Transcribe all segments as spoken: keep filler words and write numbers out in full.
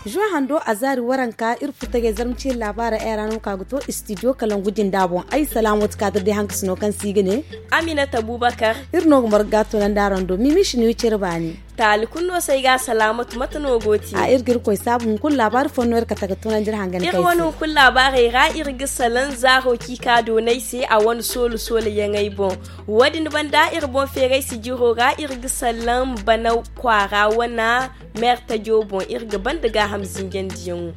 Zuwa hando a zaari waranka iri furtajey zarma ciiri laabaara ay ra no ka ga to istidiyo kalangu jinda boŋ. Ay salaamo ti ka ta day hankasino kaŋ se i ga ne. Aminata bubakar. Iri no ga marga tunandi araŋ do mimi si ni wi cere baani. Taali kulu no se ay ga salaamatu mate no go ti a iri ga iri koy saabu hunkuna laabaari fo no iri kate ga tunandi iri hangan iri wane hunkuna laabaarey ra iri ga salaŋ zaaro ciika doonay se a wane soolo soolo yaŋey boŋ. Wo- din banda iri boŋ feeray sijiro ra iri ga salaŋ bana kwaara wane meertajo boŋ iri ga banda gaaham zinjandiyaŋo.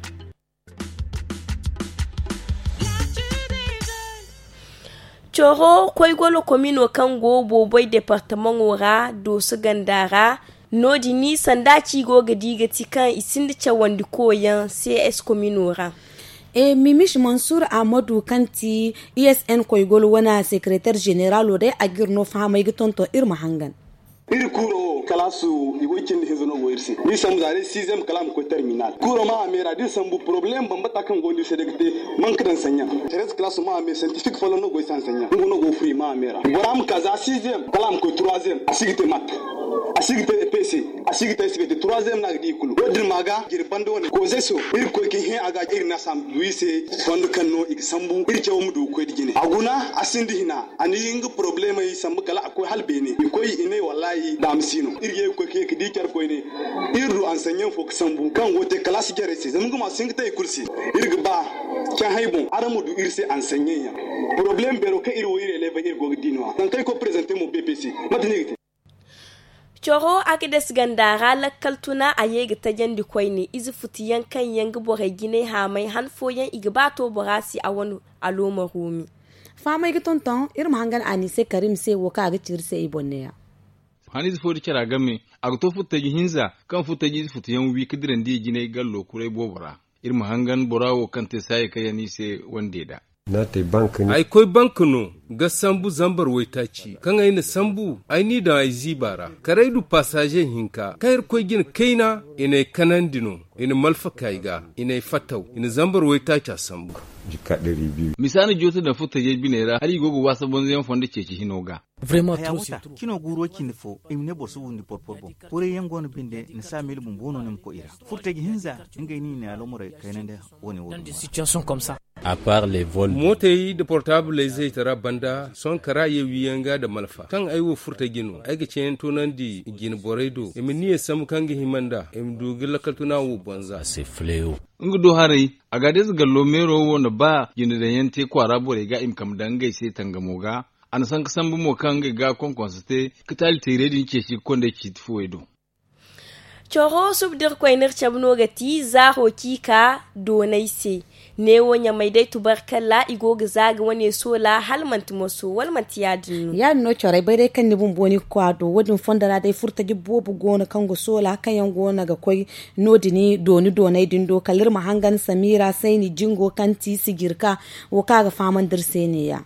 Coro koygolo komino kaŋ go booboy departamaŋo ra dooso ganda ra no- din sanda ci go ga di ga ti kaŋ i sinda cawandi koyaŋ cs komino ra. E mimis mansur ahmadu kaŋ ti isn koygolo wane sekereter zeneralo day a ga iri no fahamay ga tonton iri ma hangan. Iri kuuro wo kalaasu i go i cindi hinza no go iri se. Ni sambu za day sixième kala a ma koy terminal kuuro ma a meera da iri sambu poroblem bambata kaŋ go no iri se day ga te. Manka daŋ saɲɲa treize kalaasu ma a meera scientifique folloŋ no go iri se hansaɲɲa nga no go furi ma a meera bora ma ka za sixième kala a ma koy troisième a si ga te mat a si ga te pc a si ga te sibete troisième no a ga di i kulu wo- din ma ga jiri banda wane koozey so iri ga koy ga hẽ a ga iri na sambu du i se. Fondo kaŋ no i ga sambu iri cawo ma du ga koy da jine a guna a sinda hina. A na nga porobulemey sambu kala a koy hala beene i koy i ne wallaahi daama si no iri ga ye ga koy ka ye ga di care koyne. Iri du ansaɲɲaŋ fo ga sambu kaŋ go ga te kalaasi jarey se zama nga ma si hin ga te i kulu se. Iri ga ba cahãy boŋ araŋ ma du iri se ansaɲɲaŋ yaŋ. Porobuleem beero kaŋ iri wo iri elebey iri go ga di no- ya nangu kaŋ ay koy prezante mo bpc mate no i ga te. Coro a ga des ganda ra lakkal tuna a ye ga tajandi koyne ize futu yaŋ kaŋ yaŋ ga borey jinay haamay han fooyaŋ i ga ba to bora se a wane alooma roomi. Fahamay ga tonton iri ma hangan a ni se karim se wo kaŋ a ga ci iri se i boŋ ne- ya. Hanize fo da cara game a ga to futtaji hinza kaŋ futtaji ize futu yaŋ wi ga dirandi i jinay gallo kuray boobo ra. Iri ma hangan bora wo kaŋ te saayey kaŋ yaŋ no i se wande da. Ay koy bank no ga sambu zambar waytaaci kaŋ ay na sambu ay n'i daŋ ay ziiba ra kala ay du pasaaze hinka kaŋ irkoy jine kayna i n'ay kanandi no. I na malfa kay ga i n'ay fattaw i na zambar waytaaca sambu. Misa na jooto daŋ furtajey biney ra hala i go ga waasa bonzoyaŋ fondo ceeci hino ga. Cino guuro cindi fo i ma ne boro si wundi porpor boŋ. Kuray yaŋ go no binde ni si a miila bumbo no ni ma koy i ra. Furtaji hinza ngey no i na alomorey kaynandi. Wane wo- din mootey nda portaabiley zaytara banda sohõ kara ye wiyaŋ ga nda malfa kaŋ ay wo furtaji no ay ga ceeyaŋ toonandi jine borey do i ma niya sambu kaŋ ga hima nd'a i ma du ga lakkal tuna wo bonza. Nga do haray a ga deeza gallo meero wo na ba jine daŋyaŋ te kwaara borey ga i ma kambe daŋ ngey se tangamo ga. A na sanka sambu mo kaŋ ngey ga konkonso te ka taali teerey din ceeci ga konda ay ciiti fuwey do. Coro subu da irkoy no iri cabe no ga ti zaaro ciika doonay se. Neewo ɲamay day tubarkalla i go ga za ga wane soola hala manti moso wala manti ya- din no? Ya- din no corey bay day kaŋ ni bumbo ni ga koy a do wo- din fondo ra day furtaji boobo go no kaŋ ga soola kaŋ yaŋ go no ga koy no- din dooni doonay din do kala iri ma hangan samira sayni jingo kaŋ ti sijirka wo kaŋ a ga fahamandi iri se ne- ya.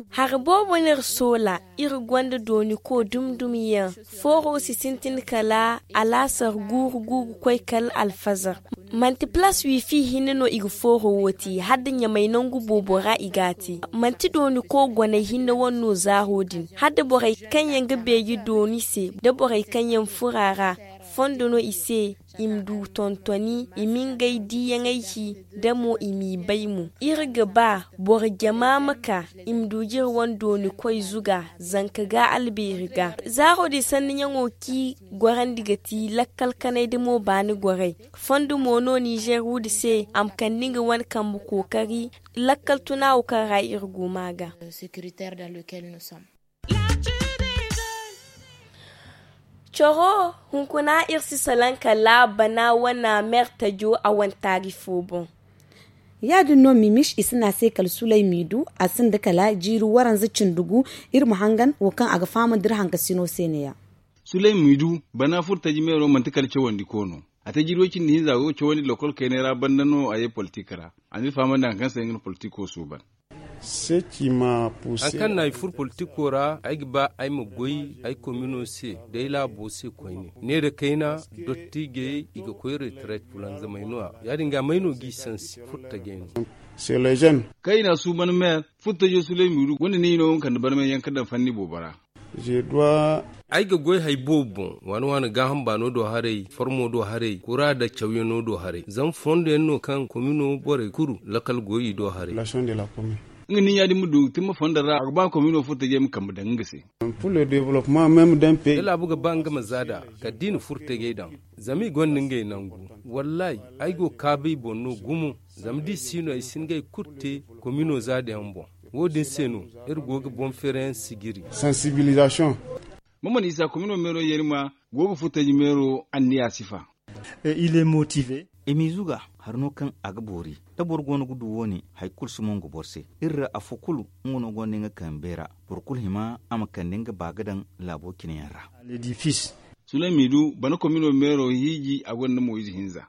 Hari boobo no iri soola iri gonda dooni ko dumi dumi yaŋ. Fooro si sintin kala alaasar guuru guuru koy kala alfazar. Manti palaas wiifi hinne no i ga fooro wo te hala da ɲamay nangu boobo ra i g'a te. Manti dooni ko goney hinne wane no zaaro din hala da borey kaŋ yaŋ ga beeji dooni se da borey kaŋ yaŋ furo a ra. Fondo no i se i ma du tontoni i ma ngey diiyaŋey ci. Da mo i m'i bay mo iri ga ba boro jama ma ka i ma du jire wane dooni koy zuga. Zanka ga albeeri ga zaaro din sanniyaŋo kaŋ i gorandi ga ti lakkal kanay da mo baani gorey. Fondo mo no nizeer wudi se a ma kande nga wane kambe kookari lakkal tuna wo kaŋ ra iri go ma ga. Coro hunkuna iri si salaŋ kala bana wane meertajo a wane taari fo boŋ. Ya- din no mimis i si ne a se kala sulay miidu a sinda kala jiiri waranza cindi gu. Iri ma hangan wo kaŋ a ga fahamandi iri hankasino se ne- ya. Sulay miidu bana furtaji meero manti kala cawandi ko no. A te jiiri way cindi hinza a go ga cawandi lokol kaynay ra banda no a ye politik ra. A n'iri fahamandi hari kaŋ se nga na politiko suuban. Hari kaŋ na ay furo politiko ra, ay ga ba ay ma goy ay komino se da ay laabo se koyne. Neera kayna, dottijey i ga koy retraite, fulanzamey no- ya ya- din ga may no g'i sansi furtajey no. Kaŋ i na a suuban meer, furtajo sulay miiru gonda ni no nga kande barmay yaŋ ka daŋ fanni boobo ra. Ay ga goy hari boobo boŋ, waani waani gaaham baano do haray, formo do haray, kura nda cawyaŋo do haray. Zama fondo yaŋ no kaŋ komino borey kulu lakkal go i do haray. Nga nin ya- din ma du timma fondo ra, a ga ba komino furtajey ma kambe daŋ nga se. Da laabu ga ba nga ma za nd'a, kala da i na furtajey daŋ. Zama i gonda ngey nangu. Wallaahi, ay go ga kaabu i boŋ no gumo. Zama da i si no, ay si hin ga hari kulu te komino za da yaŋ boŋ. Wo- din se no iri go ga boŋ feerayaŋ sijiri. Mama na isa komino meero yarima go ga furtaji meero anniya sifa. I m'i zuga hari no kaŋ a ga boori. Da boro go no ga du wo- ne, hari kulu si mongo boro se. Iri ra afo kulu, nga no gonda nga kambe ra. Boro kulu hima a ma kande nga ba ga daŋ laabo cine yaŋ ra. Sulay m'i du bana komino meero hiiji a gonda moyize hinza.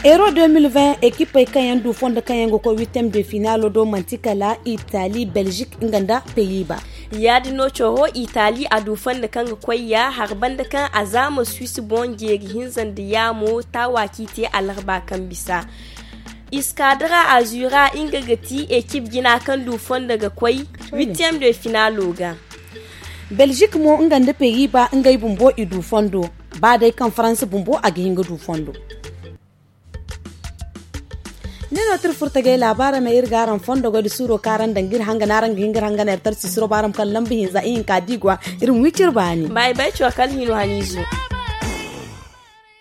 Euro deux mille vingt ekipey kaŋ yaŋ du fondo kaŋ yaŋ ga koy huitième de finalo do manti kala itali, belgique nga nda pays bas. Ya- din no coro itali a du fondo kaŋ ga koy ya hari banda kaŋ a zaama suisse boŋ jeeri hinza nda yaamo taawa kaŋ i te alarba kaŋ bisa. Iskadra azura nga ga ti ekip jina kaŋ du fondo ga koy huitième de finalo ga. Belgique mo nga nda pays bas ngey bumbo i du fondo. Ba day kaŋ faransa bumbo a ga hin ga du fondo. Ne no tira furtagay laabaara me iri ga araŋ fondo goy da suuro kaŋ araŋ daŋ ga iri hanga no araŋ ga hin ga iri hanga no iri tarsi siro ba araŋ ma kala lamba hinza ihinka da i go a iri ma wi cire baani. Bay bay cokal hino haniizo.